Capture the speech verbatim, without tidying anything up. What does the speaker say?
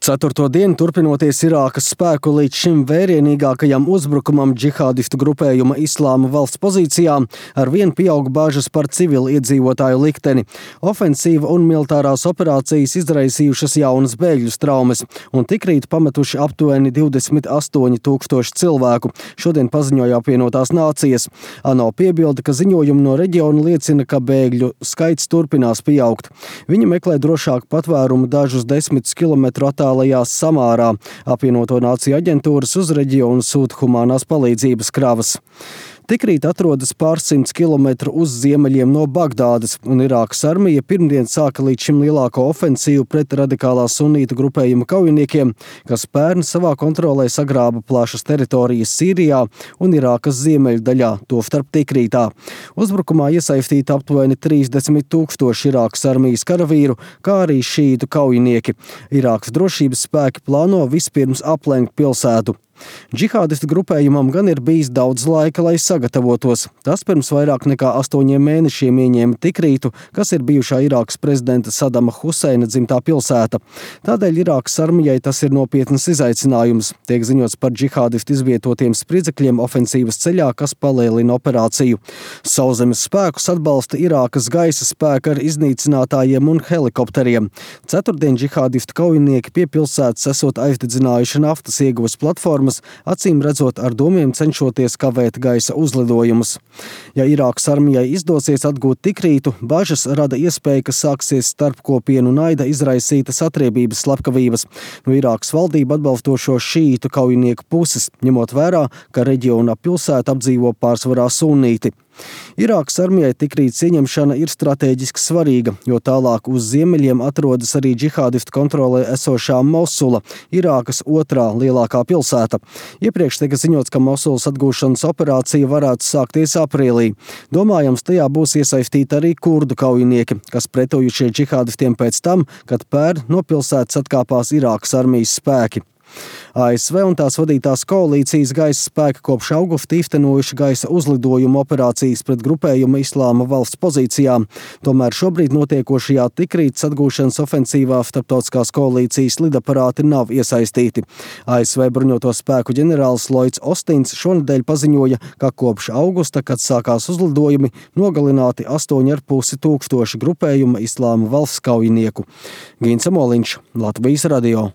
Ceturto dienu turpinoties Irākas spēku līdz šim vērienīgākajam uzbrukumam džihādistu grupējuma Islāma valsts pozīcijām, ar vien pieaug bažas par civilu iedzīvotāju likteni. Ofensīva un militārās operācijas izraisījušas jaunas bēgļu traumas un tikrīt pametuši aptuveni divdesmit astoņi tūkstoši cilvēku, šodien paziņoja apvienotās nācijas. ANO piebilda, ka ziņojumi no reģiona liecina, ka bēgļu skaits turpinās pieaugt. Viņi meklē drošāku patvērumu dažus desmitus kilometru attālumā Samārā. Apvienoto nāciju aģentūras uz reģionu sūta humānās palīdzības kravas. Tikrīt atrodas pārsimts kilometru uz ziemeļiem no Bagdādas, un Irākas armija pirmdien sāka līdz šim lielāko ofensīvu pret radikālā sunītu grupējuma kaujiniekiem, kas pērn savā kontrolē sagrāba plašas teritorijas Sīrijā un Irākas ziemeļu daļā, tostarp Tikrītā. Uzbrukumā iesaistīti aptuveni trīsdesmit tūkstoši Irākas armijas karavīru, kā arī šītu kaujinieki. Irākas drošības spēki plāno vispirms aplenkt pilsētu. Džihādistu grupējumam gan ir bijis daudz laika, lai sagatavotos. Tas pirms vairāk nekā astoņiem mēnešiem ieņēma Tikrītu, kas ir bijušā Irākas prezidenta Sadama Huseina dzimtā pilsēta. Tādēļ Irākas armijai tas ir nopietnas izaicinājums. Tiek ziņots par džihādistu izvietotiem spridzekļiem ofensīvas ceļā, kas palielina operāciju. Sauszemes spēkus atbalsta Irākas gaisa spēka ar iznīcinātājiem un helikopteriem. Ceturtdien džihādistu kaujinieki pie pilsētas esot aizdedzinājuši naftas ieguves platformas, acīm redzot ar domiem cenšoties kavēt gaisa uzlidojumus. Ja Irākas armijai izdosies atgūt Tikrītu, bažas rada iespēja, ka sāksies starpkopienu naida izraisītas atriebības slepkavības no Irākas valdību atbalstošo šītu kaujinieku puses, ņemot vērā, ka reģiona pilsēta apdzīvo pārsvarā sunīti. Irākas armijai Tikrītas ieņemšana ir strateģiski svarīga, jo tālāk uz ziemeļiem atrodas arī džihādistu kontrolē esošā Mosula, Irākas otrā lielākā pilsēta. Iepriekš tika ziņots, ka Mosulas atgūšanas operācija varētu sākties aprīlī. Domājams, tajā būs iesaistīti arī kurdu kaujinieki, kas pretojušie džihādistiem pēc tam, kad pērn no pilsētas atkāpās Irākas armijas spēki. A S V un tās vadītās koalīcijas gaisa spēki kopš augusta īstenojuši gaisa uzlidojumu operācijas pret grupējuma Islāma valsts pozīcijām. Tomēr šobrīd notiekošajā Tikrītas atgūšanas ofensīvā starptautiskās koalīcijas lidaparāti nav iesaistīti. A S V bruņoto spēku ģenerālis Lloyds Ostins šonedēļ paziņoja, ka kopš augusta, kad sākās uzlidojumi, nogalināti astoņi ar pusi tūkstoši grupējuma Islāma valsts kaujinieku. Gins Amoliņš, Latvijas radio.